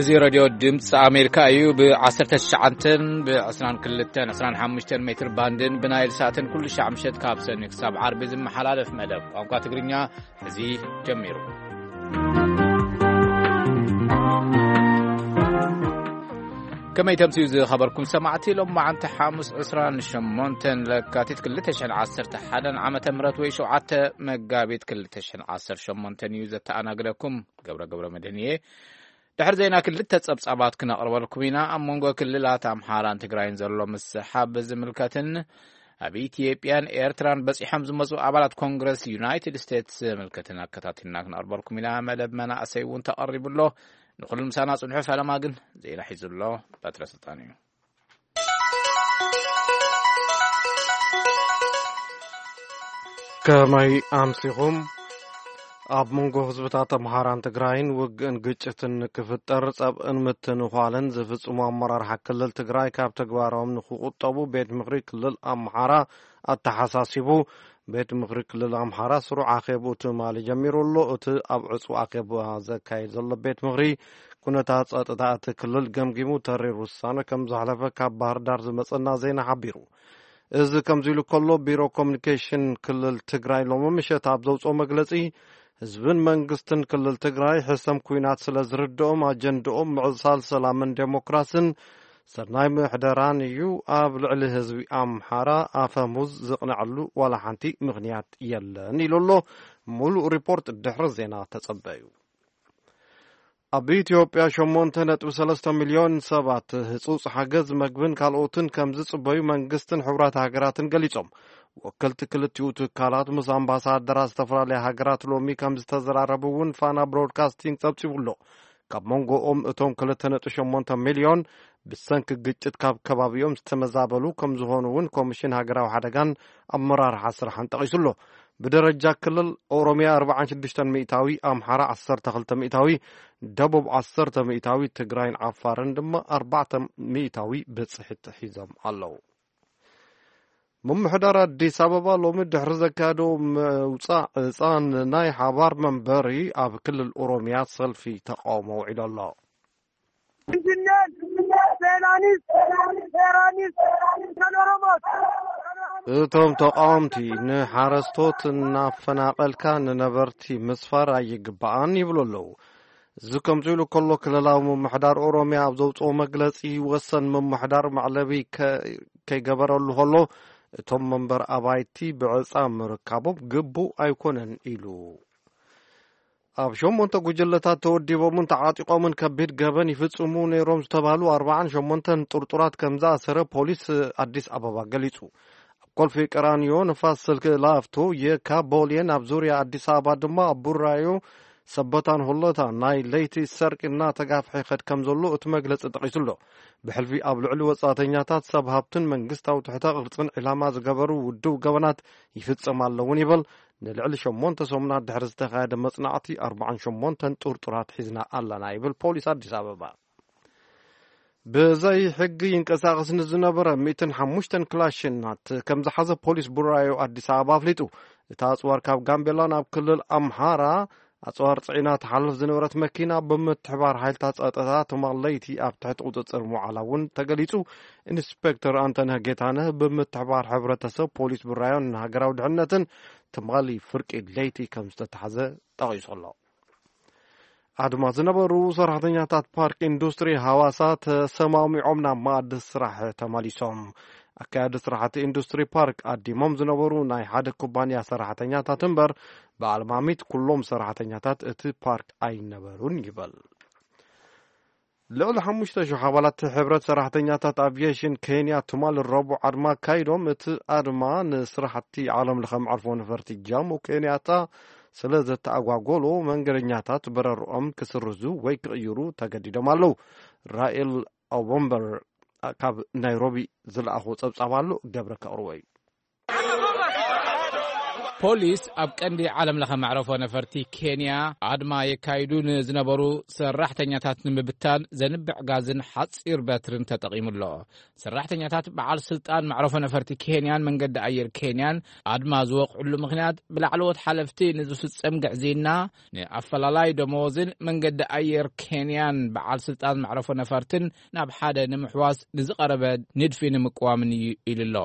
እዚ ሬድዮ ድምፂ ኣሜሪካ እዩ። ብ19፣ ብ22፣ 25 ሜትር ባንድን ብናይል ሳትን ኩሉ ሻዕ ምሸት ካብ ሰኒ ክሳብ ዓርቢ ዝመሓላለፍ መደብ ቋንቋ ትግርኛ እዚ ጀሚሩ። ከመይ ተምስዩ ዝኸበርኩም ሰማዕቲ፣ ሎም መዓንቲ ሓሙስ 28 ለካቲት 2011 ዓመተ ምህረት ወይ 7 መጋቢት 2018 እዩ። ዘተኣናግደኩም ገብረ ገብረ መድህን እየ። ድሕሪ ዜና ክልተ ጸብጻባት ክነቕርበልኩም ኢና። ኣብ መንጎ ክልላት ኣምሓራን ትግራይን ዘሎ ምስሓብ ዝምልከትን ኣብ ኢትዮጵያን ኤርትራን በጺሖም ዝመጹ ኣባላት ኮንግረስ ዩናይትድ ስቴትስ ዝምልከትን ኣከታቲልና ክነቕርበልኩም ኢና። መደብ መናእሰይ እውን ተቐሪቡ ኣሎ። ንኹሉ ምሳና ጽንሑ። ፈለማ ግን ዜና ሒዙ ኣሎ በትረ ስልጣን እዩ። ከመይ ኣምሲኹም? ኣብ መንጎ ህዝብታት ኣምሓራን ትግራይን ውግእን ግጭትን ክፍጠር ጸብእን ምትንዃልን ዝፍጽሙ ኣመራርሓ ክልል ትግራይ ካብ ተግባሮም ንክቁጠቡ ቤት ምኽሪ ክልል ኣምሓራ ኣተሓሳሲቡ። ቤት ምኽሪ ክልል ኣምሓራ ስሩዕ ኣኼብኡ ትማሊ ጀሚሩ ኣሎ። እቲ ኣብ ዕጹው ኣኼባ ዘካየድ ዘሎ ቤት ምኽሪ ኩነታት ጸጥታ እቲ ክልል ገምጊሙ ተሪር ውሳነ ከም ዘሕለፈ ካብ ባህር ዳር ዝመጸና ዜና ሓቢሩ። እዚ ከምዚ ኢሉ ከሎ፣ ቢሮ ኮሚኒኬሽን ክልል ትግራይ ሎሚ ምሸት ኣብ ዘውፅኦ መግለፂ፣ ህዝብን መንግስትን ክልል ትግራይ ሕሰም ኩናት ስለ ዝርድኦም፣ ኣጀንድኦም ምዕሳል ሰላምን ዴሞክራስን ሰናይ ምሕደራን እዩ። ኣብ ልዕሊ ህዝቢ ኣምሓራ ኣፈሙዝ ዝቕነዐሉ ዋላ ሓንቲ ምኽንያት የለን ኢሉ ኣሎ። ሙሉእ ሪፖርት ድሕሪ ዜና ተጸበዩ። ኣብ ኢትዮጵያ 8.3 ሚልዮን ሰባት ህጹጽ ሓገዝ መግብን ካልኦትን ከም ዝጽበዩ መንግስትን ሕቡራት ሃገራትን ገሊጾም። ወከልቲ ክልቲኡ ትካላት ምስ ኣምባሳደራት ዝተፈላለያ ሃገራት ሎሚ ከም ዝተዘራረቡ እውን ፋና ብሮድካስቲንግ ጸብጺቡ ኣሎ። ካብ መንጎኦም እቶም 2.8 ሚልዮን ብሰንኪ ግጭት ካብ ከባቢኦም ዝተመዛበሉ ከም ዝኾኑ እውን ኮሚሽን ሃገራዊ ሓደጋን ኣመራርሓ ስራሕን ጠቒሱ ኣሎ። ብደረጃ ክልል ኦሮሚያ 46%፣ ኣምሓራ 12%፣ ደቡብ 10%፣ ትግራይን ዓፋርን ድማ 4% ብጽሒት ሒዞም ኣለዉ። ምምሕዳር ኣዲስ ኣበባ ሎሚ ድሕሪ ዘካየዶ ምውጻእ ዕጻን ናይ ሓባር መንበሪ ኣብ ክልል ኦሮሚያ ሰልፊ ተቃውሞ ውዒሉ ኣሎ። ኢንጂነር ፌራኒስ፣ ፌራኒስ፣ ኦሮሞት። እቶም ተቃወምቲ ንሓረስቶት እናፈናቐልካ ንነበርቲ ምስፋር ኣይግባኣን ይብሉ ኣለዉ። እዚ ከምዚ ኢሉ ከሎ፣ ክልላዊ ምምሕዳር ኦሮሚያ ኣብ ዘውፅኦ መግለፂ፣ ወሰን ምምሕዳር መዕለቢ ከ-፣ ከይገበረሉ ከሎ፣ እቶም መንበር ኣባይቲ ብዕፃ ምርካቦም ግቡእ ኣይኮነን ኢሉ። ኣብ ሸሞንተ ጉጅለታት ተወዲቦምን ተዓጢቖምን ከቢድ ገበን ይፍጽሙ ነይሮም ዝተባህሉ ኣርባዓን ሸሞንተን ጥርጡራት ከም ዝኣሰረ ፖሊስ ኣዲስ ኣበባ ገሊጹ። ኣብ ኮልፌ ቀራኒዮ፣ ንፋስ ስልክ ላፍቶ፣ የካ፣ ቦሌን ኣብ ዙርያ ኣዲስ ኣበባ ድማ ኣብ ቡራዮ፣ ሰበታን ሆለታ ናይ ለይቲ ሰርቂ እናተጋፍሐ ይኸድ ከም ዘሎ እቲ መግለጺ ጠቒሱ ኣሎ። ብሕልፊ ኣብ ልዕሊ ወጻእተኛታት፣ ሰብ ሃብትን መንግስታዊ ትሕተ ቅርጽን ዒላማ ዝገበሩ ውድብ ገበናት ይፍጸም ኣለውን ይበል። ንልዕሊ ሸሞንተ ሰሙናት ድሕሪ ዝተኻየደ መጽናዕቲ፣ ኣርባዓን ሸሞንተን ጥርጡራት ሒዝና ኣለና ይብል ፖሊስ ኣዲስ ኣበባ። ብዘይ ሕጊ ይንቀሳቐስ ንዝነበረ ሚእትን ሓሙሽተን ክላሽናት ከም ዝሓዘ ፖሊስ ቡራዮ ኣዲስ ኣበባ ኣፍሊጡ። እቲ ኣጽዋር ካብ ጋምቤላ ናብ ክልል ኣምሓራ ኣጽዋር ጽዒና ትሓልፍ ዝነበረት መኪና ብምትሕባር ሓይልታት ጸጥታ ትማል ለይቲ ኣብ ትሕቲ ቁጽጽር ምውዓላ እውን ተገሊጹ። ኢንስፔክተር ኣንተነህ ጌታነህ ብምትሕባር ሕብረተሰብ፣ ፖሊስ ቡራዮን ሃገራዊ ድሕነትን ትማሊ ፍርቂ ለይቲ ከም ዝተታሕዘ ጠቒሱ ኣሎ። ኣድማ ዝነበሩ ሰራሕተኛታት ፓርክ ኢንዱስትሪ ሃዋሳ ተሰማሚዖም ናብ መኣዲ ስራሕ ተመሊሶም። ኣካያዲ ስራሕቲ ኢንዱስትሪ ፓርክ ኣዲሞም ዝነበሩ ናይ ሓደ ኩባንያ ሰራሕተኛታት እምበር፣ ብኣልማሚት ኩሎም ሰራሕተኛታት እቲ ፓርክ ኣይነበሩን ይበል። ልዕሊ ሓሙሽተ ሽሕ ኣባላት ሕብረት ሰራሕተኛታት ኣቪዬሽን ኬንያ ትማል ረቡዕ ኣድማ ኣካይዶም። እቲ ኣድማ ንስራሕቲ ዓለም ለኸ መዕርፎ ነፈርቲ ጃሞ ኬንያታ ስለ ዘተኣጓጎሎ፣ መንገደኛታት በረርኦም ክስርዙ ወይ ክቕይሩ ተገዲዶም ኣለዉ። ራኤል ኣቦምበር ካብ ናይሮቢ ዝለኣኾ ጸብጻብ ኣሎ፣ ገብረ ከቕርቦ እዩ። ፖሊስ ኣብ ቀንዲ ዓለም ለኸ መዕረፎ ነፈርቲ ኬንያ ኣድማ የካይዱ ንዝነበሩ ሰራሕተኛታት ንምብታን ዘንብዕ ጋዝን ሓጺር በትርን ተጠቒሙ ኣሎ። ሰራሕተኛታት በዓል ስልጣን መዕረፎ ነፈርቲ ኬንያን መንገዲ ኣየር ኬንያን ኣድማ ዝወቕዕሉ ምኽንያት ብላዕለዎት ሓለፍቲ ንዝፍጸም ግዕዝይና፣ ንኣፈላላይ ደመወዝን መንገዲ ኣየር ኬንያን በዓል ስልጣን መዕረፎ ነፈርትን ናብ ሓደ ንምሕዋስ ንዝቐረበ ንድፊ ንምቅዋምን እዩ ኢሉ ኣሎ።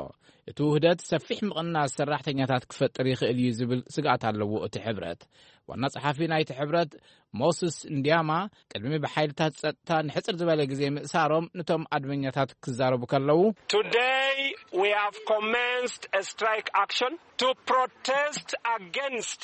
እቲ ውህደት ሰፊሕ ምቕናስ ሰራሕተኛታት ክፈጥር ይኽእል እዩ ዝብል ስግኣት ኣለዎ እቲ ሕብረት። ዋና ጸሓፊ ናይቲ ሕብረት ሞስስ እንዲያማ ቅድሚ ብሓይልታት ጸጥታ ንሕጽር ዝበለ ግዜ ምእሳሮም ንቶም ኣድመኛታት ክዛረቡ ከለዉ፣ Today we have commenced a strike action to protest against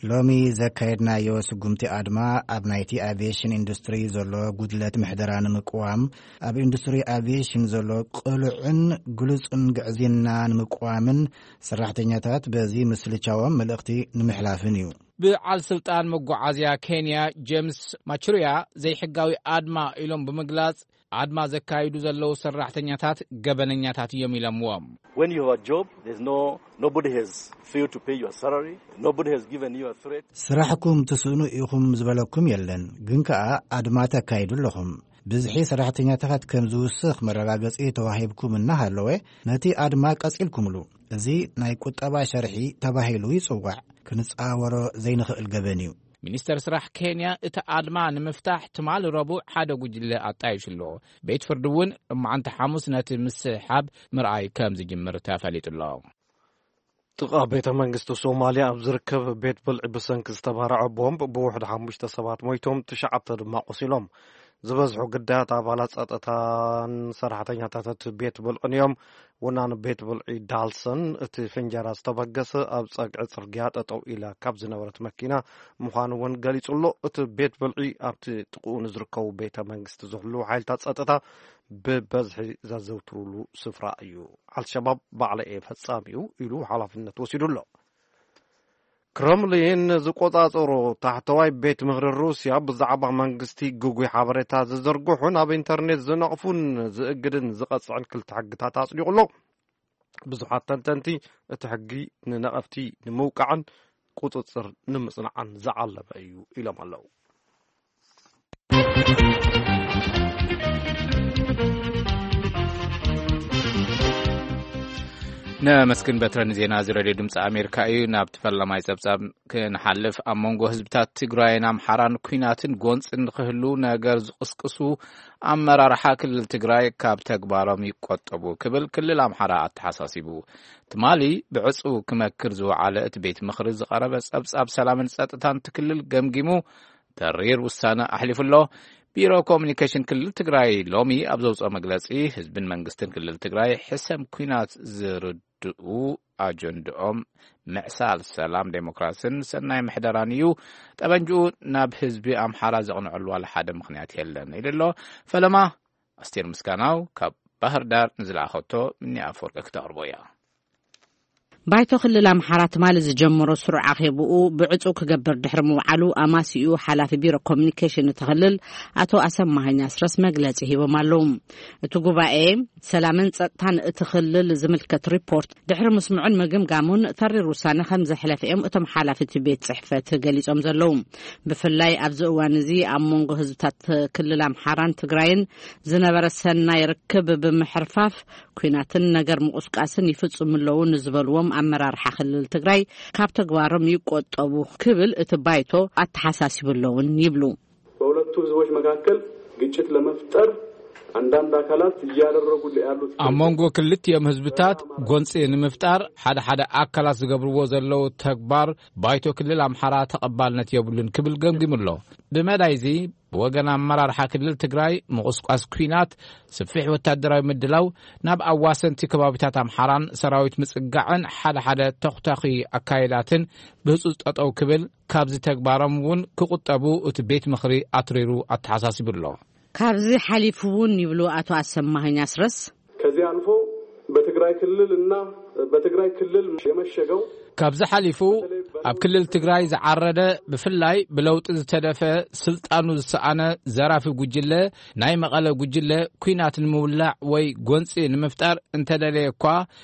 ሎሚ ዘካየድናዮ ስጉምቲ ኣድማ ኣብ ናይቲ ኣቪየሽን ኢንዱስትሪ ዘሎ ጉድለት ምሕደራ ንምቅዋም፣ ኣብ ኢንዱስትሪ ኣቪየሽን ዘሎ ቅሉዕን ግሉጽን ግዕዝይና ንምቅዋምን ሰራሕተኛታት በዚ ምስልቻዎም መልእኽቲ ንምሕላፍን እዩ። ብዓል ስልጣን መጓዓዝያ ኬንያ ጄምስ ማቹሪያ ዘይሕጋዊ ኣድማ ኢሎም ብምግላጽ ኣድማ ዘካይዱ ዘለዉ ሰራሕተኛታት ገበነኛታት እዮም ኢሎምዎም። When you have a job, there's no nobody has failed to pay your salary. Nobody has given you a threat. ስራሕኩም ትስእኑ ኢኹም ዝበለኩም የለን፣ ግን ከኣ ኣድማ ተካይዱ ኣለኹም። ብዝሒ ሰራሕተኛታት ከም ዝውስኽ መረጋገጺ ተዋሂብኩም እናሃለወ ነቲ ኣድማ ቀጺልኩምሉ። እዚ ናይ ቁጠባ ሸርሒ ተባሂሉ ይጽዋዕ። ክንጻወሮ ዘይንኽእል ገበን እዩ። ሚኒስተር ስራሕ ኬንያ እቲ ኣድማ ንምፍታሕ ትማሊ ረቡዕ ሓደ ጉጅለ ኣጣይሹ ኣሎ። ቤት ፍርዲ እውን እማዓንቲ ሓሙስ ነቲ ምስሓብ ምርኣይ ከም ዝጅምር ተፈሊጡ ኣሎ። ጥቓ ቤተ መንግስቲ ሶማልያ ኣብ ዝርከብ ቤት ብልዒ ብሰንኪ ዝተባረዐ ቦምብ ብውሕድ ሓሙሽተ ሰባት ሞይቶም፣ ትሽዓተ ድማ ቆሲሎም። ዝበዝሑ ግዳያት ኣባላት ጸጥታን ሰራሕተኛታት እቲ ቤት ብልዕን እዮም። ወናኒ ቤት ብልዒ ዳልሰን፣ እቲ ፍንጀራ ዝተበገሰ ኣብ ጸግዒ ጽርግያ ጠጠው ኢላ ካብ ዝነበረት መኪና ምዃኑ እውን ገሊጹ ኣሎ። እቲ ቤት ብልዒ ኣብቲ ጥቕኡ ንዝርከቡ ቤተ መንግስቲ ዝሕልዉ ሓይልታት ጸጥታ ብበዝሒ ዘዘውትሩሉ ስፍራ እዩ። ኣልሸባብ ባዕለ እየ ፈጻሚኡ ኢሉ ሓላፍነት ወሲዱ ኣሎ። ክረምሊን ዝቆጻጸሮ ታሕተዋይ ቤት ምኽሪ ሩስያ ብዛዕባ መንግስቲ ግጉይ ሓበሬታ ዝዝርግሑን ኣብ ኢንተርኔት ዝነቕፉን ዝእግድን ዝቐጽዕን ክልተ ሕግታት ኣጽዲቑ ኣሎ። ብዙሓት ተንተንቲ እቲ ሕጊ ንነቐፍቲ ንምውቃዕን ቁጽጽር ንምጽናዕን ዝዓለመ እዩ ኢሎም ኣለዉ። ነመስግን በትረ ንዜና እዚ ሬድዮ ድምፂ ኣሜሪካ እዩ። ናብ ተፈለማይ ጸብጻብ ክንሓልፍ፣ ኣብ መንጎ ህዝብታት ትግራይን ኣምሓራን ኲናትን ጎንፅን ንክህሉ ነገር ዝቕስቅሱ ኣመራርሓ ክልል ትግራይ ካብ ተግባሮም ይቆጠቡ ክብል ክልል ኣምሓራ ኣተሓሳሲቡ። ትማሊ ብዕፁ ክመክር ዝወዓለ እቲ ቤት ምኽሪ ዝቐረበ ጸብጻብ ሰላምን ጸጥታን እቲ ክልል ገምጊሙ ተሪር ውሳነ ኣሕሊፉ ኣሎ። ቢሮ ኮሙኒኬሽን ክልል ትግራይ ሎሚ ኣብ ዘውፅኦ መግለፂ ህዝብን መንግስትን ክልል ትግራይ ሕሰም ኲናት ዝርድኡ ኣጀንድኦም ምዕሳል ሰላም፣ ዴሞክራስን ሰናይ ምሕደራን እዩ። ጠበንጅኡ ናብ ህዝቢ ኣምሓራ ዘቕንዐሉ ዋላ ሓደ ምኽንያት የለን ኢሉ ኣሎ። ፈለማ ኣስቴር ምስጋናው ካብ ባህር ዳር ንዝለኣኸቶ ምኒ ኣፈወርቂ ክተቕርቦ እያ። ባይቶ ክልል ኣምሓራ ትማሊ ዝጀመሮ ስሩዕ ኣኼብኡ ብዕጹው ክገብር ድሕሪ ምውዓሉ ኣማሲኡ ሓላፊ ቢሮ ኮሙኒኬሽን እቲ ክልል ኣቶ ኣሰማሃኝ ኣስረስ መግለጺ ሂቦም ኣለዉ። እቲ ጉባኤ ሰላምን ጸጥታን እቲ ክልል ዝምልከት ሪፖርት ድሕሪ ምስምዑን ምግምጋሙን ተሪር ውሳነ ከም ዘሕለፈ እዮም እቶም ሓላፊ እቲ ቤት ጽሕፈት ገሊጾም ዘለዉ። ብፍላይ ኣብዚ እዋን እዚ ኣብ መንጎ ህዝብታት ክልል ኣምሓራን ትግራይን ዝነበረ ሰናይ ርክብ ብምሕርፋፍ ኲናትን ነገር ምቑስቃስን ይፍጽሙ ኣለዉ ንዝበልዎም ኣመራርሓ ክልል ትግራይ ካብ ተግባሮም ይቆጠቡ ክብል እቲ ባይቶ ኣተሓሳሲቡ ኣለውን ይብሉ። በሁለቱ ህዝቦች መካከል ግጭት ለመፍጠር አንዳንድ አካላት እያደረጉ ያሉት ኣብ መንጎ ክልቲኦም ህዝብታት ጎንፂ ንምፍጣር ሓደ ሓደ ኣካላት ዝገብርዎ ዘለዉ ተግባር ባይቶ ክልል ኣምሓራ ተቐባልነት የብሉን ክብል ገምጊሙ ኣሎ። ብመዳይ እዚ ብወገን ኣመራርሓ ክልል ትግራይ ምቑስቋስ ኲናት፣ ስፊሕ ወታደራዊ ምድላው፣ ናብ ኣዋሰንቲ ከባቢታት ኣምሓራን ሰራዊት ምጽጋዕን ሓደ ሓደ ተኹታኺ ኣካየዳትን ብህጹጽ ጠጠው ክብል፣ ካብዚ ተግባሮም እውን ክቑጠቡ እቲ ቤት ምኽሪ ኣትሪሩ ኣተሓሳሲቡ ኣሎ። ካብዚ ሓሊፉ እውን ይብሉ ኣቶ ኣሰማኸኝ ኣስረስ፣ ከዚህ አልፎ በትግራይ ክልል እና በትግራይ ክልል የመሸገው ካብዚ ሓሊፉ ኣብ ክልል ትግራይ ዝዓረደ፣ ብፍላይ ብለውጢ ዝተደፈ፣ ስልጣኑ ዝሰኣነ ዘራፊ ጉጅለ፣ ናይ መቐለ ጉጅለ፣ ኲናት ንምውላዕ ወይ ጎንፂ ንምፍጣር እንተደለየ እኳ፣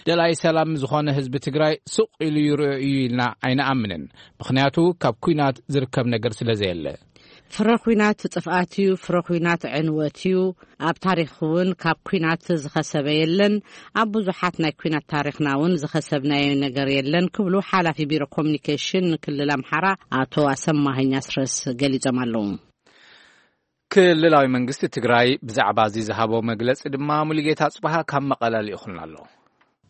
ደላይ ሰላም ዝኾነ ህዝቢ ትግራይ ሱቕ ኢሉ ይርእዮ እዩ ኢልና ኣይንኣምንን። ምኽንያቱ፣ ካብ ኲናት ዝርከብ ነገር ስለ ዘየለ። ፍረ ኲናት ጥፍኣት እዩ፣ ፍረ ኲናት ዕንወት እዩ። ኣብ ታሪኽ እውን ካብ ኲናት ዝኸሰበ የለን። ኣብ ብዙሓት ናይ ኲናት ታሪኽና እውን ዝኸሰብናዮ ነገር የለን ክብሉ ሓላፊ ቢሮ ኮሚኒኬሽን ክልል ኣምሓራ ኣቶ ኣሰማኸኝ ኣስረስ ገሊጾም ኣለዉ። ክልላዊ መንግስቲ ትግራይ ብዛዕባ እዚ ዝሃቦ መግለጺ ድማ ሙሉጌታ ጽባሃ ካብ መቐለ ልኢኹልና ኣሎ።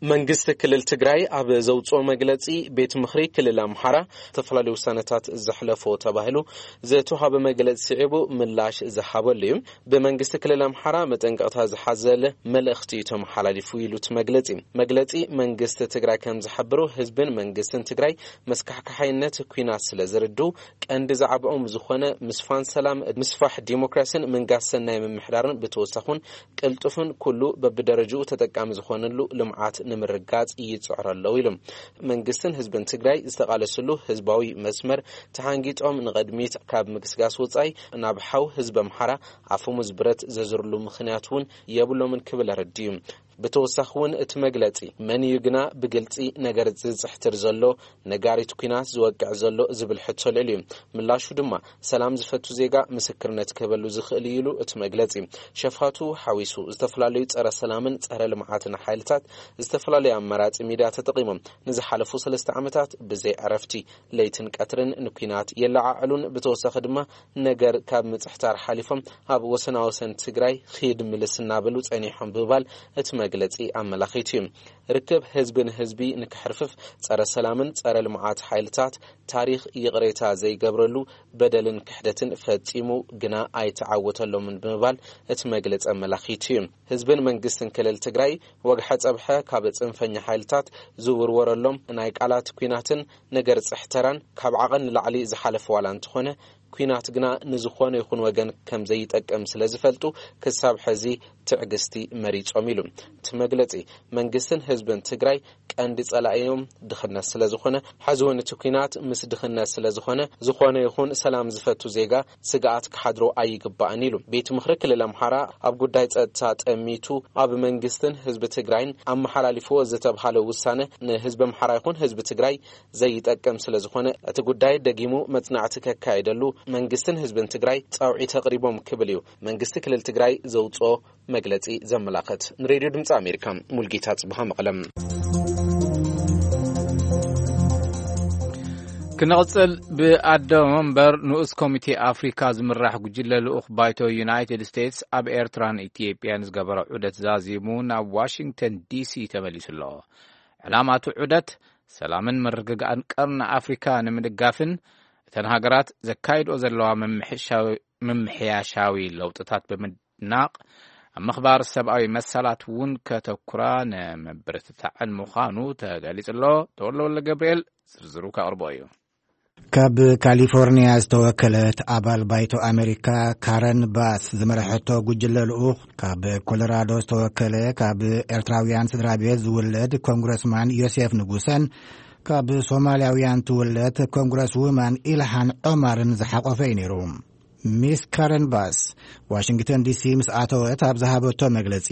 መንግስቲ ክልል ትግራይ ኣብ ዘውፅኦ መግለፂ፣ ቤት ምኽሪ ክልል ኣምሓራ ዝተፈላለዩ ውሳነታት ዘሕለፎ ተባሂሉ ዝተዋሃበ መግለፂ ስዒቡ ምላሽ ዝሃበሉ እዩ። ብመንግስቲ ክልል ኣምሓራ መጠንቀቕታ ዝሓዘለ መልእኽቲ እዩ ተመሓላሊፉ ኢሉ እቲ መግለፂ። መግለፂ መንግስቲ ትግራይ ከም ዝሓብሮ፣ ህዝብን መንግስትን ትግራይ መስካሕካሓይነት ኲናት ስለ ዝርድኡ፣ ቀንዲ ዛዕባኦም ዝኾነ ምስፋን ሰላም፣ ምስፋሕ ዲሞክራሲን ምንጋስ ሰናይ ምምሕዳርን፣ ብተወሳኹን ቅልጡፍን ኩሉ በብደረጅኡ ተጠቃሚ ዝኾነሉ ልምዓት ንምርጋጽ ይጽዕሩ ኣለዉ ኢሉ። መንግስትን ህዝብን ትግራይ ዝተቓለስሉ ህዝባዊ መስመር ተሓንጊጦም ንቐድሚት ካብ ምግስጋስ ወጻኢ፣ ናብ ሓው ህዝቢ ኣምሓራ ኣፈሙዝ ብረት ዘዝርሉ ምኽንያት እውን የብሎምን ክብል ኣረዲኡ። ብተወሳኺ እውን እቲ መግለጺ፣ መን እዩ ግና ብግልጺ ነገር ዝጽሕትር ዘሎ፣ ነጋሪት ኲናት ዝወቅዕ ዘሎ ዝብል ሕቶ ልዕል እዩ። ምላሹ ድማ፣ ሰላም ዝፈቱ ዜጋ ምስክርነት ክህበሉ ዝኽእል እዩ ኢሉ እቲ መግለጺ። ሸፋቱ ሓዊሱ ዝተፈላለዩ ጸረ ሰላምን ጸረ ልምዓትን ሓይልታት ዝተፈላለዩ ኣማራጺ ሚድያ ተጠቒሞም ንዝሓለፉ ሰለስተ ዓመታት ብዘይ ዕረፍቲ ለይትን ቀትርን ንኲናት የለዓዕሉን፣ ብተወሳኺ ድማ ነገር ካብ ምጽሕታር ሓሊፎም ኣብ ወሰናወሰን ትግራይ ኺድ ምልስ እናበሉ ጸኒሖም ብምባል እቲ መግለጺ ኣመላኺቱ እዩ። ርክብ ህዝቢ ንህዝቢ ንክሕርፍፍ ጸረ ሰላምን ጸረ ልምዓት ሓይልታት ታሪኽ ይቕሬታ ዘይገብረሉ በደልን ክሕደትን ፈጺሙ ግና ኣይተዓወተሎምን ብምባል እቲ መግለጺ ኣመላኺቱ እዩ። ህዝብን መንግስትን ክልል ትግራይ ወግሐ ጸብሐ ካብ ጽንፈኛ ሓይልታት ዝውርወረሎም ናይ ቃላት ኲናትን ነገር ጽሕተራን ካብ ዓቐን ንላዕሊ ዝሓለፈ ዋላ እንተኾነ፣ ኲናት ግና ንዝኾነ ይኹን ወገን ከም ዘይጠቅም ስለ ዝፈልጡ፣ ክሳብ ሕዚ ትዕግስቲ መሪጾም ኢሉ። እቲ መግለጺ፣ መንግስትን ህዝብን ትግራይ ቀንዲ ጸላኢዮም ድኽነት ስለ ዝኾነ፣ ሕዚ እውን እቲ ኲናት ምስ ድኽነት ስለ ዝኾነ፣ ዝኾነ ይኹን ሰላም ዝፈቱ ዜጋ ስግኣት ክሓድሮ ኣይግባእን ኢሉ። ቤት ምኽሪ ክልል ኣምሓራ ኣብ ጉዳይ ጸጥታ ጠሚቱ ኣብ መንግስትን ህዝቢ ትግራይን ኣመሓላሊፍዎ ዝተብሃለ ውሳነ ንህዝቢ ኣምሓራ ይኹን ህዝቢ ትግራይ ዘይጠቅም ስለ ዝኾነ፣ እቲ ጉዳይ ደጊሙ መጽናዕቲ ከካየደሉ መንግስትን ህዝብን ትግራይ ጻውዒት ኣቕሪቦም ክብል እዩ መንግስቲ ክልል ትግራይ ዘውጽኦ መግለጺ ዘመላኽት። ንሬድዮ ድምጺ ኣሜሪካ፣ ሙልጌታ ጽብሃ፣ መቐለም። ክንቕጽል፣ ብኣደ መንበር ንኡስ ኮሚቴ ኣፍሪካ ዝምራሕ ጉጅለ ልኡኽ ባይቶ ዩናይትድ ስቴትስ ኣብ ኤርትራን ኢትዮጵያን ዝገበሮ ዑደት ዛዚሙ ናብ ዋሽንግተን ዲሲ ተመሊሱ ኣሎ። ዕላማ እቲ ዑደት፣ ሰላምን ምርግጋእን ቀርኒ ኣፍሪካ ንምድጋፍን እተን ሃገራት ዘካይድኦ ዘለዋ ምምሕሻዊ-፣ ምምሕያሻዊ ለውጥታት ብምድናቕ፣ ኣብ ምኽባር ሰብኣዊ መሰላት እውን ከተኩራ ንምብርትታዕን ምዃኑ ተገሊጹ ኣሎ። ተወልደ ወልደ ገብርኤል ዝርዝሩ ከቕርቦ እዩ። ካብ ካሊፎርኒያ ዝተወከለት ኣባል ባይቶ ኣሜሪካ ካረን ባስ ዝመረሐቶ ጉጅለ ልኡኽ፣ ካብ ኮሎራዶ ዝተወከለ ካብ ኤርትራውያን ስድራ ቤት ዝውለድ ኮንግረስማን ዮሴፍ ንጉሰን ካብ ሶማልያውያን ትውለድ ኮንግረስ ውማን ኢልሃን ዖማርን ዝሓቆፈ እዩ ነይሩ። ሚስ ካረን ባስ ዋሽንግተን ዲሲ ምስ ኣተወት ኣብ ዝሃበቶ መግለጺ፣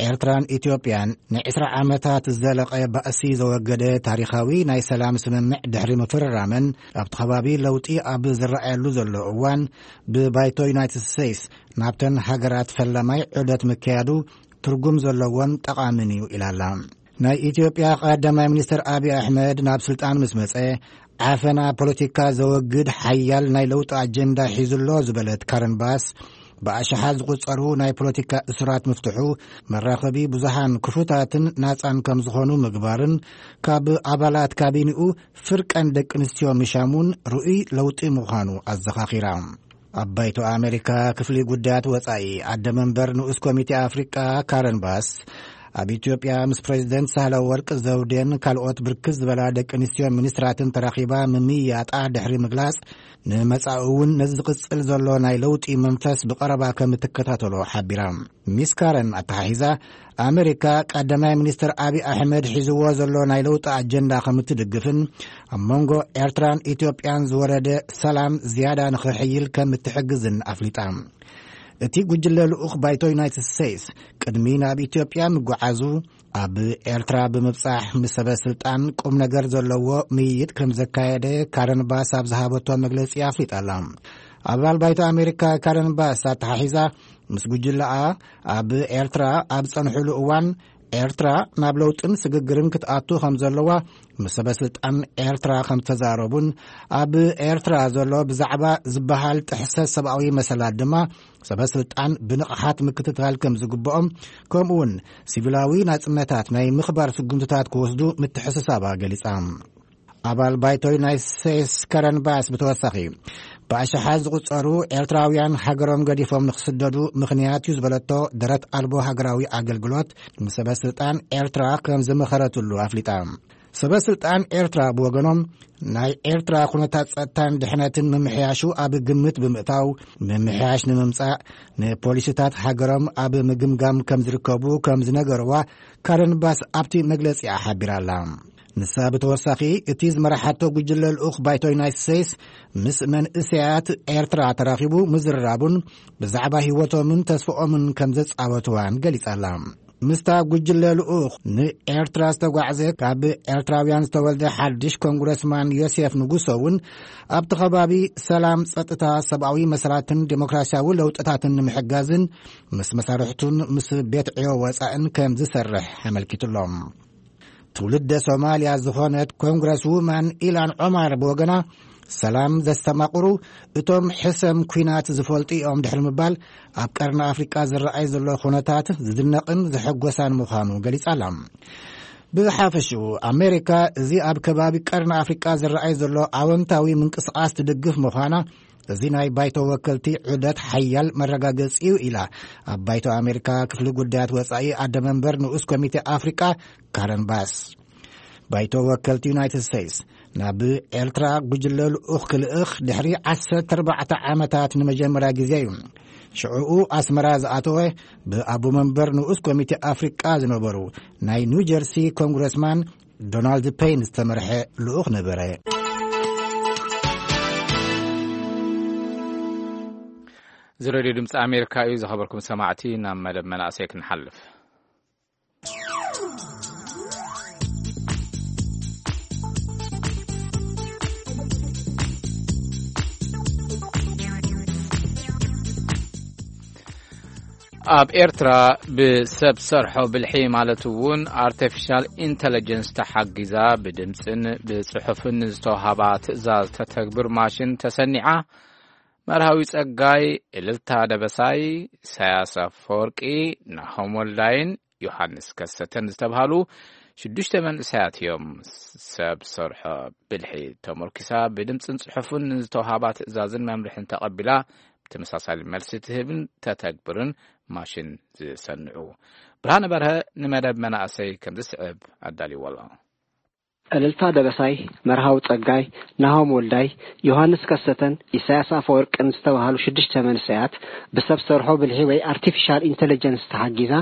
ኤርትራን ኢትዮጵያን ንዕስራ ዓመታት ዝዘለቐ ባእሲ ዘወገደ ታሪኻዊ ናይ ሰላም ስምምዕ ድሕሪ ምፍርራመን፣ ኣብቲ ከባቢ ለውጢ ኣብ ዝረኣየሉ ዘሎ እዋን፣ ብባይቶ ዩናይትድ ስቴትስ ናብተን ሃገራት ፈላማይ ዑደት ምክያዱ ትርጉም ዘለዎን ጠቓምን እዩ ኢላላ። ናይ ኢትዮጵያ ቀዳማይ ሚኒስትር ኣብይ ኣሕመድ ናብ ስልጣን ምስ መጸ፣ ዓፈና ፖለቲካ ዘወግድ ሓያል ናይ ለውጢ ኣጀንዳ ሒዙ ኣሎ ዝበለት ካረን ባስ፣ ብኣሽሓት ዝቑጸሩ ናይ ፖለቲካ እሱራት ምፍትሑ፣ መራኸቢ ብዙሃን ክፉታትን ናጻን ከም ዝኾኑ ምግባርን፣ ካብ ኣባላት ካቢኒኡ ፍርቀን ደቂ ኣንስትዮ ምሻሙን ርኡይ ለውጢ ምዃኑ ኣዘኻኺራ። ኣብ ባይቶ ኣሜሪካ ክፍሊ ጉዳያት ወጻኢ ኣደ መንበር ንኡስ ኮሚቴ ኣፍሪቃ ካረን ባስ፣ ኣብ ኢትዮጵያ ምስ ፕሬዚደንት ሳህለ ወርቅ ዘውዴን ካልኦት ብርክት ዝበላ ደቂ ኣንስትዮ ሚኒስትራትን ተራኺባ ምምይያጣ ድሕሪ ምግላጽ፣ ንመጻኢ እውን ነዚ ዝቕጽል ዘሎ ናይ ለውጢ መንፈስ ብቐረባ ከም እትከታተሎ ሓቢራ። ሚስ ካረን ኣተሓሒዛ፣ ኣሜሪካ ቀዳማይ ሚኒስትር ኣብይ ኣሕመድ ሒዝዎ ዘሎ ናይ ለውጢ ኣጀንዳ ከም እትድግፍን ኣብ መንጎ ኤርትራን ኢትዮጵያን ዝወረደ ሰላም ዝያዳ ንኽሕይል ከም እትሕግዝን ኣፍሊጣ። እቲ ጉጅለ ልኡኽ ባይቶ ዩናይትድ ስቴትስ ቅድሚ ናብ ኢትዮጵያ ምጉዓዙ ኣብ ኤርትራ ብምብጻሕ ምስ ሰበ ስልጣን ቁም ነገር ዘለዎ ምይይጥ ከም ዘካየደ ካረን ባስ ኣብ ዝሃበቶ መግለጺ ኣፍሊጣ ኣላ። ኣባል ባይቶ ኣሜሪካ ካረን ባስ ኣተሓሒዛ፣ ምስ ጉጅለኣ ኣብ ኤርትራ ኣብ ጸንሕሉ እዋን ኤርትራ ናብ ለውጥን ስግግርን ክትኣቱ ከም ዘለዋ ምስ ሰበ ስልጣን ኤርትራ ከም ዝተዛረቡን ኣብ ኤርትራ ዘሎ ብዛዕባ ዝበሃል ጥሕሰት ሰብኣዊ መሰላት ድማ ሰበ ስልጣን ብንቕሓት ምክትታል ከም ዝግብኦም፣ ከምኡ እውን ሲቪላዊ ናጽነታት ናይ ምኽባር ስጉምትታት ክወስዱ ምትሕስሳባ ገሊጻ። ኣባል ባይቶ ዩናይትድ ስቴትስ ካረን ባስ ብተወሳኺ ብኣሽሓት ዝቑጸሩ ኤርትራውያን ሃገሮም ገዲፎም ንክስደዱ ምኽንያት እዩ ዝበለቶ ደረት ኣልቦ ሃገራዊ ኣገልግሎት ንሰበ ስልጣን ኤርትራ ከም ዝመኸረትሉ ኣፍሊጣ። ሰበ ስልጣን ኤርትራ ብወገኖም ናይ ኤርትራ ኩነታት ጸጥታን ድሕነትን ምምሕያሹ ኣብ ግምት ብምእታው ምምሕያሽ ንምምጻእ ንፖሊሲታት ሃገሮም ኣብ ምግምጋም ከም ዝርከቡ ከም ዝነገርዋ ካረን ባስ ኣብቲ መግለጺኣ ሓቢራ ኣላ። ንሳ ብተወሳኺ እቲ ዝመራሓቶ ጉጅለ ልኡኽ ባይቶ ዩናይትድ ስቴትስ ምስ መንእሰያት ኤርትራ ተራኺቡ ምዝርራቡን ብዛዕባ ህይወቶምን ተስፍኦምን ከም ዘጻወትዋን ገሊጻ ኣላ። ምስታ ጉጅለ ልኡኽ ንኤርትራ ዝተጓዕዘ ካብ ኤርትራውያን ዝተወልደ ሓድሽ ኮንግረስማን ዮሴፍ ንጉሶ እውን ኣብቲ ከባቢ ሰላም፣ ጸጥታ፣ ሰብኣዊ መሰላትን ዴሞክራሲያዊ ለውጥታትን ንምሕጋዝን ምስ መሳርሕቱን ምስ ቤት ዕዮ ወጻእን ከም ዝሰርሕ ኣመልኪቱሎም። ትውልደ ሶማልያ ዝኾነት ኮንግረስ ውማን ኢላን ዖማር ብወገና፣ ሰላም ዘስተማቕሩ እቶም ሕሰም ኲናት ዝፈልጡ እዮም ድሕሪ ምባል፣ ኣብ ቀርኒ ኣፍሪቃ ዝረኣይ ዘሎ ኩነታት ዝድነቕን ዘሐጎሳን ምዃኑ ገሊጻ ኣላ። ብሓፈሽኡ ኣሜሪካ እዚ ኣብ ከባቢ ቀርኒ ኣፍሪቃ ዝረኣይ ዘሎ ኣወንታዊ ምንቅስቓስ ትድግፍ ምዃና እዚ ናይ ባይቶ ወከልቲ ዑደት ሓያል መረጋገጺ እዩ ኢላ ኣብ ባይቶ ኣሜሪካ ክፍሊ ጉዳያት ወጻኢ ኣደ መንበር ንኡስ ኮሚቴ ኣፍሪቃ ካረን ባስ። ባይቶ ወከልቲ ዩናይትድ ስቴትስ ናብ ኤርትራ ጉጅለ ልኡኽ ክልእኽ ድሕሪ ዓሰርተ ኣርባዕተ ዓመታት ንመጀመርያ ግዜ እዩ። ሽዕኡ ኣስመራ ዝኣተወ ብኣቦ መንበር ንኡስ ኮሚቴ ኣፍሪቃ ዝነበሩ ናይ ኒው ጀርሲ ኮንግረስማን ዶናልድ ፔይን ዝተመርሐ ልኡኽ ነበረ። እዚ ሬድዮ ድምፂ ኣሜሪካ እዩ። ዝኸበርኩም ሰማዕቲ፣ ናብ መደብ መናእሰይ ክንሓልፍ። ኣብ ኤርትራ ብሰብ ሰርሖ ብልሒ ማለት እውን ኣርቲፊሻል ኢንተለጀንስ ተሓጊዛ ብድምፅን ብፅሑፍን ዝተውሃባ ትእዛዝ ተተግብር ማሽን ተሰኒዓ። መርሃዊ ጸጋይ፣ እልልታ ደበሳይ፣ ኢሳያስ ኣፈወርቂ፣ ናሆም ወልዳይን ዮሃንስ ከሰተን ዝተብሃሉ ሽዱሽተ መንእሰያት እዮም። ሰብ ሰርሖ ብልሒ ተመርኪሳ ብድምፅን ጽሑፍን ዝተውሃባ ትእዛዝን መምርሕን ተቐቢላ ብተመሳሳሊ መልሲ ትህብን ተተግብርን ማሽን ዝሰንዑ። ብርሃነ በርሀ ንመደብ መናእሰይ ከም ዝስዕብ ኣዳልዎ ኣሎ። እልልታ ደበሳይ፣ መርሃዊ ጸጋይ፣ ናሆም ወልዳይ፣ ዮሃንስ ከሰተን ኢሳያስ ኣፈወርቅን ዝተባህሉ ሽዱሽተ መንእሰያት ብሰብ ሰርሖ ብልሒ ወይ ኣርቲፊሻል ኢንተለጀንስ ተሓጊዛ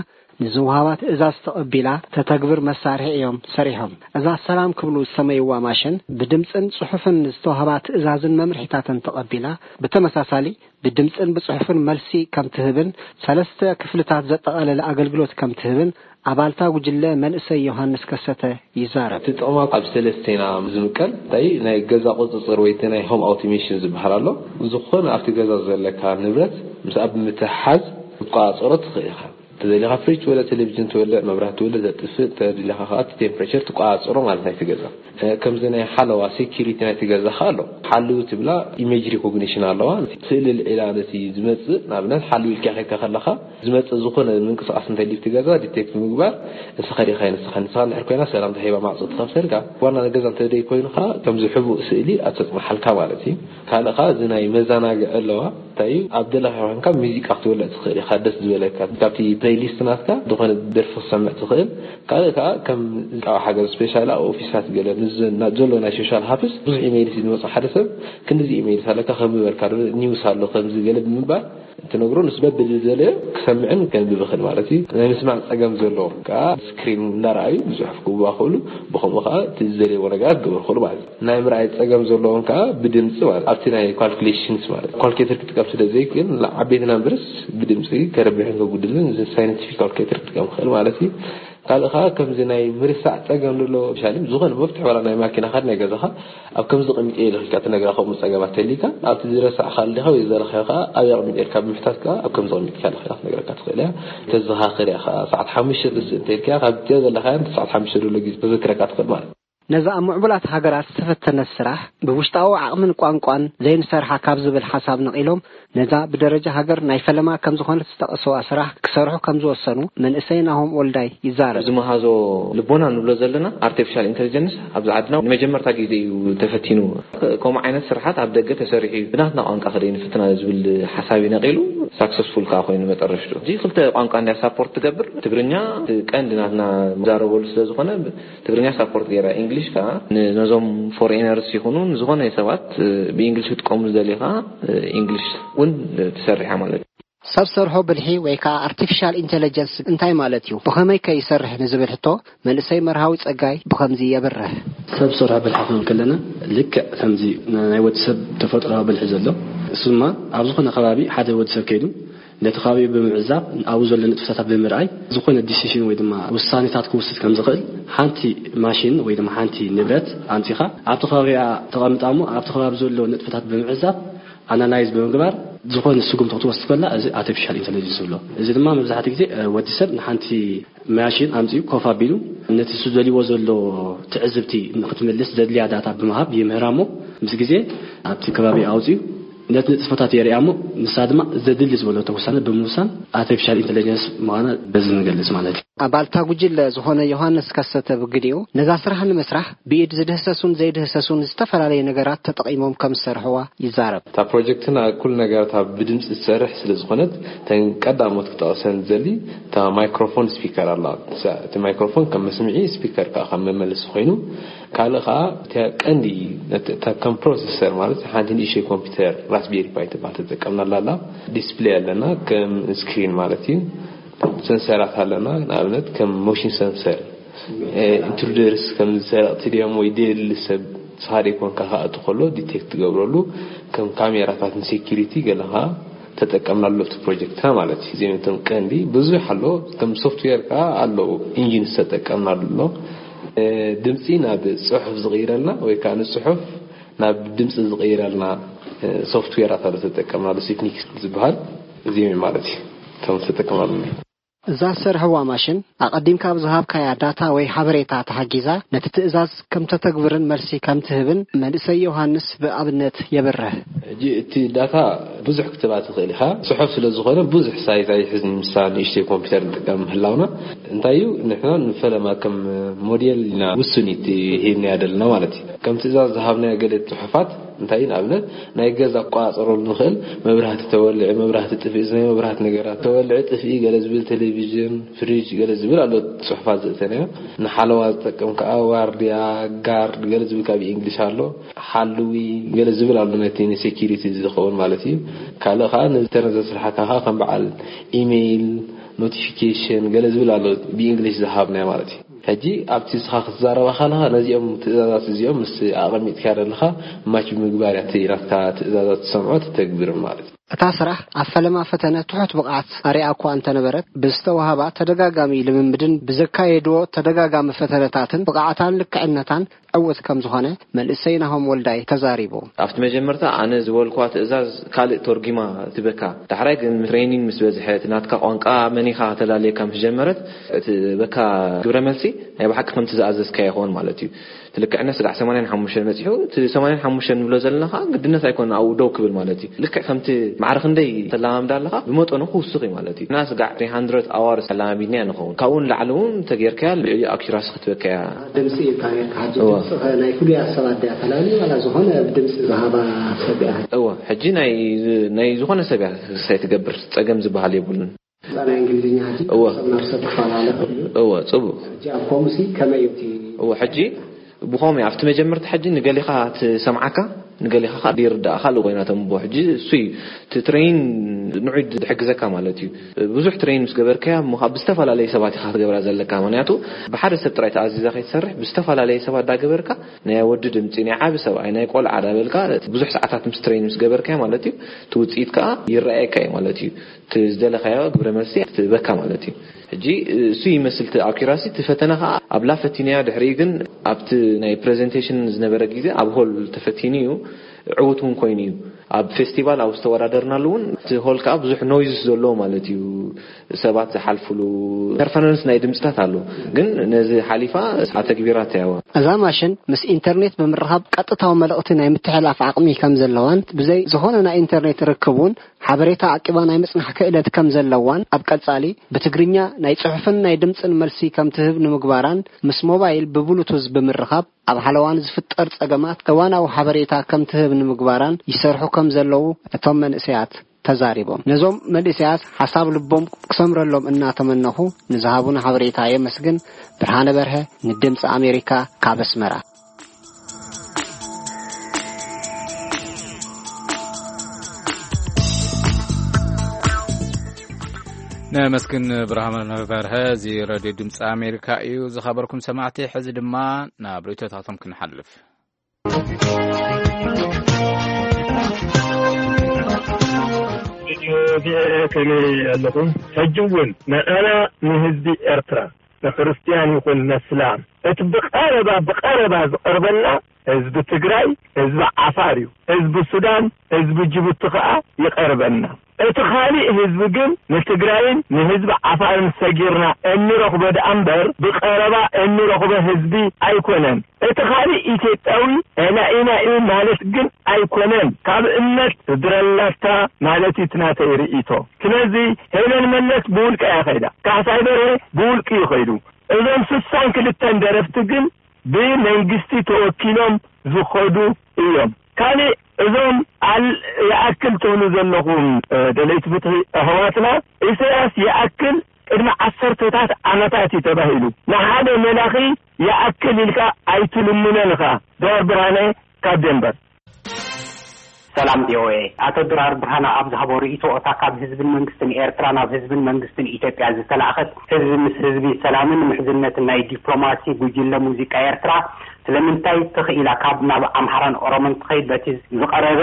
ንዝወሃባ ትእዛዝ ተቐቢላ ተተግብር መሳርሒ እዮም ሰሪሖም። እዛ ሰላም ክብሉ ዝሰመይዋ ማሽን ብድምፅን ጽሑፍን ዝተዋህባ ትእዛዝን መምርሒታትን ተቐቢላ ብተመሳሳሊ ብድምፅን ብጽሑፍን መልሲ ከም ትህብን ሰለስተ ክፍልታት ዘጠቓለለ ኣገልግሎት ከም ትህብን ኣባልታ ጉጅለ መንእሰይ ዮሃንስ ከሰተ ይዛረብ። እቲ ጥቕማ ኣብ ሰለስተ ኢና ዝምቀል። እንታይ ናይ ገዛ ቁፅፅር ወይ እቲ ናይ ሆም ኣውቶሜሽን ዝበሃል ኣሎ። ዝኾነ ኣብቲ ገዛ ዘለካ ንብረት ምስ ኣብ ምትሓዝ ክትቆፃፀሮ ትኽእል ኢኻ። ተደሊኻ ፍሪጅ ትወልዕ፣ ቴሌቪዥን ትወልዕ፣ መብራህቲ ትወልዕ፣ ዘጥፍእ፣ ተደሊኻ ከዓ እቲ ቴምፕሬቸር ትቆፃፀሮ ማለት ናይቲ ገዛ። እ፣ ከምዚ ናይ ሓለዋ ሴኪሪቲ ናይቲ ገዛ ከዓ ኣሎ። ሓልው ትብላ ኢሜጅ ሪኮግኒሽን ኣለዋ። ስእሊ ልዒላ ነቲ ዝመጽእ፣ ንኣብነት ሓልው ኢልካ ከይድካ ከለኻ ዝመጽእ ዝኾነ ምንቅስቓስ እንተልዩ እቲ ገዛ ዲቴክት ምግባር፣ ንስኻ ዲኻ ንስኻ፣ ንስኻ እንድሕር ኮይና ሰላምታ ሂባ ማዕጾ ትኸፍተልካ። ዋና ገዛ እንተ ደይ ኮይኑ ከዓ ከምዚ ሕቡእ ስእሊ ኣተጽንሓልካ ማለት እዩ። ካልእ ከዓ እዚ ናይ መዘናግዒ ኣለዋ። እዩ። ኣብ ደለኻ ኮንካ ሙዚቃ ክትወልዕ ትኽእል ኢኻ፣ ደስ ዝበለካ ካብቲ ፕሌይሊስት ናትካ ዝኾነ ደርፊ ክሰምዕ ትኽእል። ካልእ ከዓ ከም ካብ ሃገር ስፔሻል ኣብ ኦፊሳት ገለ ንዘሎ ናይ ሶሻል ሃፕስ ብዙሕ ኢሜይልስ ዝመፅእ ሓደ ሰብ ክንዲዚ ኢሜይልስ ኣለካ፣ ከምዚ በልካ ዶ፣ ኒውስ ኣሎ ከምዚ ገለ ብምባል እንትነግሮ፣ ንሱ በብዝደለዮ ክሰምዕን ከንብብ ይኽእል ማለት እዩ። ናይ ምስማዕ ፀገም ዘለዎም ከዓ ስክሪን እንዳረኣዩ ብፅሑፍ ክዋኸሉ፣ ብኸምኡ ከዓ እቲ ዝደለይዎ ነገራት ክገብሩ ይኽእሉ ማለት እዩ። ናይ ምርኣይ ፀገም ዘለዎም ከዓ ብድምፂ ማለት ኣብቲ ናይ ካልኩሌሽንስ ማለት ካልኩሌተር ክጥቀም ስለ ዘይክእል፣ ንዓበይቲ ናምበርስ ብድምፂ ከረብሕን ከጉድልን እዚ ሳይንቲፊክ ካልኩሌተር ክጥቀም ክኽእል ማለት እዩ። ካልእ ከዓ ከምዚ ናይ ምርሳዕ ፀገም ዘሎ ሻሊ ዝኾነ መፍትሒ ዋላ ናይ ማኪናኻ ናይ ገዛኻ ኣብ ከምዚ ቀሚጠ ኢልካ ትነግራ። ከምኡ ፀገማት ተሊካ ኣብቲ ዝረሳዕካ ኣሊኻ ወይ ዝደለኻዮ ከዓ ኣብ ኣቕሚጠ ኢልካ ብምሕታት ከዓ ኣብ ከምዚ ቀሚጥካ ኣለኻ ኢላ ክትነግረካ ትኽእል እያ። ተዘኻኽር እያ ከዓ ሰዓት ሓሙሽተ ትስእ እንተኢልካ ካብቲ ዘለኻዮ ሰዓት ሓሙሽተ ዘሎ ግዜ ተዘክረካ ትኽእል ማለት እዩ። ነዛ ኣብ ምዕቡላት ሃገራት ዝተፈተነት ስራሕ ብውሽጣዊ ዓቕምን ቋንቋን ዘይንሰርሓ ካብ ዝብል ሓሳብ ነቒሎም ነዛ ብደረጃ ሃገር ናይ ፈለማ ከም ዝኾነት ዝጠቐስዋ ስራሕ ክሰርሑ ከም ዝወሰኑ መንእሰይ ናሆም ወልዳይ ይዛረብ። ዝመሃዞ ልቦና ንብሎ ዘለና ኣርቲፊሻል ኢንተሊጀንስ ኣብዚ ዓድና ንመጀመርታ ግዜ እዩ ተፈቲኑ። ከምኡ ዓይነት ስርሓት ኣብ ደገ ተሰሪሑ እዩ፣ ብናትና ቋንቋ ከደይ ንፍትና ዝብል ሓሳብ እዩ ነቒሉ። ሳክሰስፉል ከዓ ኮይኑ መጠረሽቱ እዚ ክልተ ቋንቋ እንድያ ሳፖርት ትገብር፣ ትግርኛ ቀንዲ ናትና ዛረበሉ ስለ ዝኾነ ትግርኛ ሳፖርት ገይራ፣ ኢንግሊሽ ከዓ ነዞም ፎሬነርስ ይኹኑ ንዝኾነ ሰባት ብኢንግሊሽ ክትቀሙ ዝደልዩ ከዓ ኢንግሊሽ እውን ትሰርሕ እያ ማለት እዩ። ሰብ ሰርሖ ብልሒ ወይ ከዓ ኣርቲፊሻል ኢንቴሊጀንስ እንታይ ማለት እዩ? ብኸመይ ከ ይሰርሕ ንዝብል ሕቶ መንእሰይ መርሃዊ ፀጋይ ብኸምዚ የብርህ። ሰብ ሰርሖ ብልሒ ክንብል ከለና ልክዕ ከምዚ ናይ ወዲ ሰብ ተፈጥሮዊ ብልሒ ዘሎ እሱ ድማ ኣብ ዝኾነ ከባቢ ሓደ ወዲ ሰብ ከይዱ ነቲ ከባቢ ብምዕዛብ ኣብኡ ዘሎ ንጥፈታት ብምርኣይ ዝኾነ ዲሲሽን ወይ ድማ ውሳኔታት ክወስድ ከም ዝኽእል ሓንቲ ማሽን ወይ ድማ ሓንቲ ንብረት ኣምፂኻ ኣብቲ ከባቢኣ ተቐምጣ እሞ ኣብቲ ከባቢ ዘሎ ንጥፈታት ብምዕዛብ ኣናላይዝ ብምግባር ዝኾነ ስጉምቲ ክትወስድ ከላ እዚ ኣርቲፊሻል ኢንተለጀንስ ንብሎ። እዚ ድማ መብዛሕትኡ ግዜ ወዲ ሰብ ንሓንቲ ማሽን ኣምፂኡ ኮፍ ኣቢሉ ነቲ ዝደልይዎ ዘሎ ትዕዝብቲ ንክትምልስ ዘድልያ ዳታ ብምሃብ ይምህራ እሞ ምስ ግዜ ኣብቲ ከባቢ ኣውፂኡ ነቲ ንጥፈታት የርእያ እሞ ንሳ ድማ ዘድሊ ዝበለቶ ውሳነ ብምውሳን ኣርቲፊሻል ኢንተለጀንስ ምዃና በዚ ንገልፅ ማለት እዩ። ኣባልታ ጉጅለ ዝኾነ ዮሃንስ ከሰተ ብግዲኡ ነዛ ስራሕ ንምስራሕ ብኢድ ዝድህሰሱን ዘይድህሰሱን ዝተፈላለዩ ነገራት ተጠቒሞም ከም ዝሰርሕዋ ይዛረብ። እታ ፕሮጀክትና ኩሉ ነገራት ኣብ ብድምፂ ትሰርሕ ስለ ዝኾነት እተን ቀዳሞት ክጠቕሰን ዝደሊ እታ ማይክሮፎን ስፒከር ኣላ። እቲ ማይክሮፎን ከም መስምዒ ስፒከር ከዓ ከም መመልሲ ኮይኑ ካልእ ከዓ እቲ ቀንዲ እታ ከም ፕሮሰሰር ማለት ሓንቲ ንእሽተይ ኮምፒውተር ራስቤሪ ፓይ ትበሃል ተጠቀምናላ ኣላ። ዲስፕሌይ ኣለና ከም ስክሪን ማለት እዩ። ሰንሰራት ኣለና ንኣብነት ከም ሞሽን ሰንሰር ኢንትሩደርስ ከም ሰረቕቲ ድዮም ወይ ደየድሊ ሰብ ንስኻ ዘይኮንካ ክኣቱ ከሎ ዲቴክት ትገብረሉ ከም ካሜራታት ንሴኪሪቲ ገለ ከዓ ተጠቀምናሉ ኣብቲ ፕሮጀክትና ማለት እዩ። እዚኦም እቶም ቀንዲ ብዙሕ ኣሎ ከም ሶፍትዌር ከዓ ኣለዉ ኢንጂን ዝተጠቀምናሉ ኣሎ። ድምፂ ናብ ፅሑፍ ዝቕይረልና ወይ ከዓ ንፅሑፍ ናብ ድምፂ ዝቕይረልና ሶፍትዌራት ኣሎ ተጠቀምናሉ ሲፕኒክስ ዝበሃል እዚኦም ማለት እዩ። እቶም ዝተጠቀምናሉ እዛ ዝሰርሕዋ ማሽን ኣቐዲምካ ብዝሃብካያ ዳታ ወይ ሓበሬታ ተሓጊዛ ነቲ ትእዛዝ ከም ተተግብርን መልሲ ከም ትህብን መንእሰይ ዮሃንስ ብኣብነት የብርህ። ሕጂ እቲ ዳታ ብዙሕ ክትባ ትኽእል ኢኻ። ጽሑፍ ስለ ዝኾነ ብዙሕ ሳይዝ ኣይሕዝን። ምሳ ንእሽተይ ኮምፒውተር ንጥቀም ምህላውና እንታይ እዩ ንሕና ንፈለማ ከም ሞዴል ኢና ውሱን እቲ ሂብናያ ዘለና ማለት እዩ። ከም ትእዛዝ ዝሃብናዮ ገለ ጽሑፋት እንታይ ንኣብነት ናይ ገዛ ክቆጻጸረሉ ንኽእል መብራህቲ ተወልዒ መብራህቲ ጥፍኢ ናይ መብራህቲ ነገራት ተወልዒ ጥፍኢ ገለ ዝብል ቴሌቪዥን ፍሪጅ ገለ ዝብል ኣሎ ጽሑፋት ዘእተናዮ ንሓለዋ ዝጠቅም ከዓ ዋርድያ ጋርድ ገለ ዝብል ካብ ኢንግሊሽ ኣሎ ሓልዊ ገለ ዝብል ኣሎ ነቲ ንሴኪሪቲ ዝኸውን ማለት እዩ። ካልእ ከዓ ንዝተነዘ ስራሕካ ከዓ ከም በዓል ኢሜይል ኖቲፊኬሽን ገለ ዝብል ኣሎ ብኢንግሊሽ ዝሃብናዮ ማለት እዩ። ሕጂ ኣብቲ ንስኻ ክትዛረባ ከለኻ ነዚኦም ትእዛዛት እዚኦም ምስ ኣቐሚጥካዮ ዘለኻ ማች ብምግባር እያ እቲ ናትካ ትእዛዛት ትሰምዖ ትተግብርን ማለት እዩ። እታ ስራሕ ኣብ ፈለማ ፈተነ ትሑት ብቕዓት ኣሪኣ እኳ እንተነበረት ብዝተወሃባ ተደጋጋሚ ልምምድን ብዘካየድዎ ተደጋጋሚ ፈተነታትን ብቕዓታን ልክዕነታን ዕውት ከም ዝኾነ መንእሰይ ናሆም ወልዳይ ተዛሪቡ። ኣብቲ መጀመርታ ኣነ ዝበልኳ ትእዛዝ ካልእ ተርጒማ ትበካ። ዳሕራይ ግን ትሬኒንግ ምስ በዝሐ እቲ ናትካ ቋንቋ መኒኻ ከተላልየካ ምስ ጀመረት እቲ በካ ግብረ መልሲ ናይ ብሓቂ ከምቲ ዝኣዘዝካዮ ይኸውን ማለት እዩ። እቲ ልክዕነት ስጋዕ ሰማንያን ሓሙሽተን መጺሑ፣ እቲ ሰማንያን ሓሙሽተን ንብሎ ዘለና ኸዓ ግድነት ኣይኮነ ኣብኡ ደው ክብል ማለት እዩ። ልክዕ ከምቲ ማዕረ ክንደይ ተለማምዳ ኣለኻ፣ ብመጠኑ ክውስኽ እዩ ማለት እዩ። እና ስጋዕ three hundred hours ተለማሚድና ንኸውን። ካብኡ ንላዕሊ እውን ተጌርካያ ልዕሊ ኣኪራሲ ክትበካ እያ። ድምፂ ኢልካ ነርካ። ሕጂ እወ። ድምፂ ኸ ናይ ፍሉያት ሰባት ድያ ተላልዩ ዋላ ዝኾነ ድምፂ ዝሃባ ሰብ እያ? እወ፣ ሕጂ ናይ፣ ናይ ዝኾነ ሰብ እያ ክሳይ ትገብር፣ ጸገም ዝበሃል የብሉን። ናይ እንግሊዝኛ ሕጂ እወ። ሰብ ናብ ሰብ ክፈላለ ክእል እዩ። እወ፣ ጽቡቕ። ሕጂ ኣብ ኮምሲ ከመይ እዩ እቲ እወ፣ ሕጂ ብኸምኡ ኣብቲ መጀመርታ ሕጂ ንገሊኻ ትሰምዓካ፣ ንገሊኻ ኸኣ ይርዳእ ካልእ ኮይና ተንብቦ። ሕጂ እሱ እዩ እቲ ትሬን ንዑ ድሕግዘካ ማለት እዩ። ብዙሕ ትሬን ምስ ገበርካያ፣ እሞ ኸኣ ብዝተፈላለየ ሰባት ኢኻ ክትገብራ ዘለካ። ምኽንያቱ ብሓደ ሰብ ጥራይ ተኣዚዛ ከይትሰርሕ፣ ብዝተፈላለየ ሰባት ዳገበርካ፣ ናይ ወዲ ድምጺ፣ ናይ ዓቢ ሰብኣይ፣ ናይ ቆልዓ ዳበልካ፣ ብዙሕ ሰዓታት ምስ ትሬን ምስ ገበርካያ ማለት እዩ፣ እቲ ውጽኢት ከኣ ይረኣየካ እዩ ማለት እዩ። እቲ ዝደለኻዮ ግብረ መልሲ ትበካ ማለት እዩ። ሕጂ እሱ ይመስል እቲ ኣኪራሲ፣ እቲ ፈተነ ኸኣ ኣብላ ፈቲንያ፣ ድሕሪኡ ግን ኣብቲ ናይ ፕሬዘንቴሽን ዝነበረ ግዜ ኣብ ሆል ተፈቲኑ እዩ፣ ዕዉት እውን ኮይኑ እዩ። ኣብ ፌስቲቫል ኣብ ዝተወዳደርናሉ እውን እቲ ሆል ከኣ ብዙሕ ኖይዝ ዘለዎ ማለት እዩ፣ ሰባት ዝሓልፉሉ ኢንተርፈረንስ ናይ ድምፅታት ኣሎ። ግን ነዚ ሓሊፋ ኣተግቢራታ እያ። እዛ ማሽን ምስ ኢንተርኔት ብምርኻብ ቀጥታዊ መልእኽቲ ናይ ምትሕልላፍ ዓቕሚ ከም ዘለዋን ብዘይ ዝኾነ ናይ ኢንተርኔት ርክብ እውን ሓበሬታ ዓቂባ ናይ ምጽናሕ ክእለት ከም ዘለዋን ኣብ ቀጻሊ ብትግርኛ ናይ ጽሑፍን ናይ ድምጽን መልሲ ከም ትህብ ንምግባራን ምስ ሞባይል ብብሉቱዝ ብምርኻብ ኣብ ሓለዋን ዝፍጠር ጸገማት እዋናዊ ሓበሬታ ከም ትህብ ንምግባራን ይሰርሑ ከም ዘለዉ እቶም መንእሰያት ተዛሪቦም። ነዞም መንእሰያት ሓሳብ ልቦም ክሰምረሎም እናተመነኹ ንዝሃቡና ሓበሬታ የመስግን። ብርሃነ በርሀ ንድምፂ ኣሜሪካ ካብ ኣስመራ። ነመስግን ብርሃነ በርሀ። እዚ ሬድዮ ድምፂ ኣሜሪካ እዩ። ዝኸበርኩም ሰማዕቲ፣ ሕዚ ድማ ናብ ርእይቶታቶም ክንሓልፍ። ሬድዮ ቪኦኤ ከመይ ኣለኹም? ሕጂ እውን ንዓና ንህዝቢ ኤርትራ፣ ንክርስትያን ይኹን ነስላም፣ እቲ ብቐረባ፣ ብቐረባ ዝቐርበና ህዝቢ ትግራይ፣ ህዝቢ ዓፋር እዩ። ህዝቢ ሱዳን፣ ህዝቢ ጅቡቲ ከኣ ይቐርበና። እቲ ካሊእ ህዝቢ ግን ንትግራይን ንህዝቢ ዓፋርን ሰጊርና እንረኽቦ ደኣ እምበር፣ ብቐረባ እንረኽቦ ህዝቢ ኣይኮነን። እቲ ካሊእ ኢትዮጵያዊ ናኢና እዩ ማለት ግን ኣይኮነን። ካብ እምነት ስድረላታ ማለት እዩ እቲ ናተይ ርእይቶ። ስለዚ ሄለን መለስ ብውልቃ እያ ከይዳ። ካሕሳይ በርሄ ብውልቂ እዩ ከይዱ። እዞም ስሳን ክልተን ደረፍቲ ግን ብመንግስቲ ተወኪሎም ዝኸዱ እዮም። ካልእ እዞም ኣል-፣ ይኣክል ትብሉ ዘለኹም፣ እ፣ ደለይቲ ፍትሒ ኣሕዋትና፣ ኢሳያስ ይኣክል ቅድሚ ዓሰርተታት ዓመታት እዩ ተባሂሉ። ንሓደ መላኺ ይኣክል ኢልካ ኣይትልምኖን ኢኻ። ድራር ብርሃነ ካብ ዴንቨር። ሰላም ቪኦኤ። ኣቶ ድራር ብርሃነ ኣብ ዝሃቦ ርእይቶ፣ እታ ካብ ህዝብን መንግስትን ኤርትራ ናብ ህዝብን መንግስትን ኢትዮጵያ ዝተላእኸት ህዝቢ ምስ ህዝቢ ሰላምን ምሕዝነትን ናይ ዲፕሎማሲ ጉጅለ ሙዚቃ ኤርትራ ስለምንታይ ትኽኢላ ካብ ናብ ኣምሓራን ኦሮሞን ትኸይድ በቲ ዝቐረበ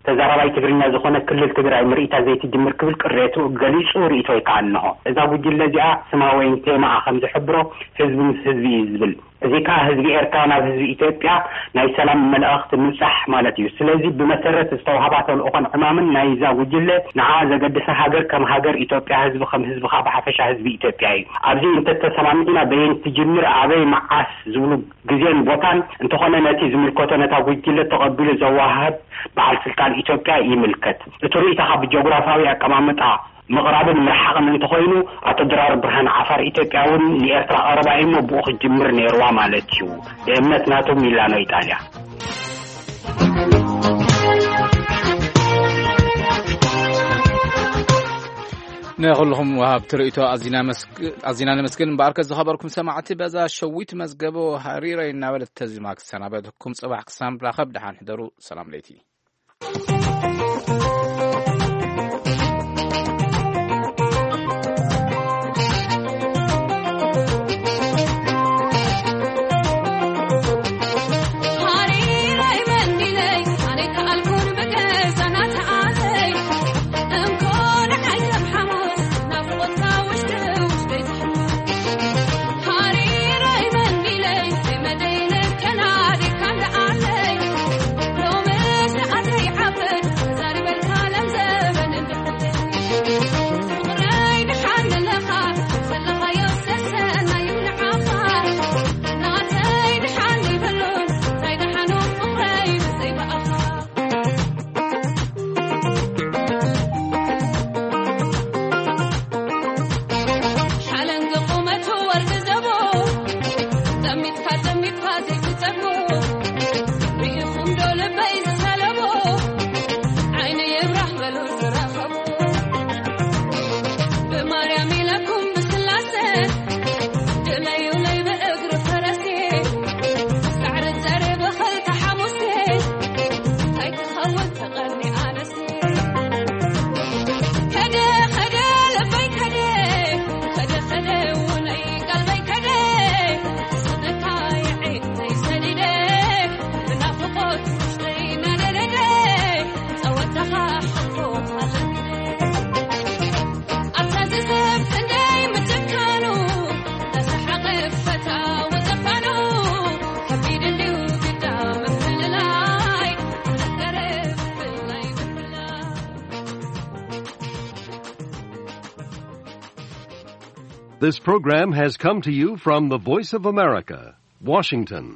ተዛራባይ ትግርኛ ዝኾነ ክልል ትግራይ ምርኢታ ዘይትጅምር ክብል ቅሬቱ ገሊጹ ርእይቶ ይከኣል እንሆ። እዛ ጉጅለ እዚኣ ስማ ወይን ቴማኣ ከም ዝሕብሮ ህዝቢ ምስ ህዝቢ እዩ ዝብል። እዚ ከኣ ህዝቢ ኤርትራ ናብ ህዝቢ ኢትዮጵያ ናይ ሰላም መልእኽቲ ምብጻሕ ማለት እዩ። ስለዚ ብመሰረት ዝተዋህባ ተልእኾን ዕማምን ናይዛ ጉጅለ ንዓ ዘገድሳ ሃገር ከም ሃገር ኢትዮጵያ፣ ህዝቢ ከም ህዝቢ ከኣ ብሓፈሻ ህዝቢ ኢትዮጵያ እዩ። ኣብዚ እንተተሰማሚዕና በየን ትጅምር፣ ኣበይ፣ መዓስ ዝብሉ ግዜን ቦታን እንተኾነ ነቲ ዝምልከቶ ነታ ጉጅለ ተቐቢሉ ዘወሃህድ በዓል ስልጣን ኢትዮጵያ ይምልከት። እቲ ርእይቶኻ ብጂኦግራፋዊ ኣቀማምጣ ምቕራብን ምርሓቕን እንተኾይኑ፣ ኣቶ ድራር ብርሃን ዓፋር ኢትዮጵያ እውን ንኤርትራ ቀረባ እዩ እሞ ብኡ ክጅምር ነይርዋ ማለት እዩ። ብእምነት ናቱ ሚላኖ ኢጣልያ። ንኹልኹም ወሃብቲ ርእይቶ ኣዚና መስግ-፣ ኣዚና ነመስግን። እምበኣርከ ዝኸበርኩም ሰማዕቲ፣ በዛ ሸዊት መዝገቦ ሃሪረይ እናበለት ተዚማ ክሰናበተኩም። ጽባሕ ክሳብ ንራኸብ ደሓን ሕደሩ። ሰላም ለይቲ። This program has come to you from the Voice of America, Washington.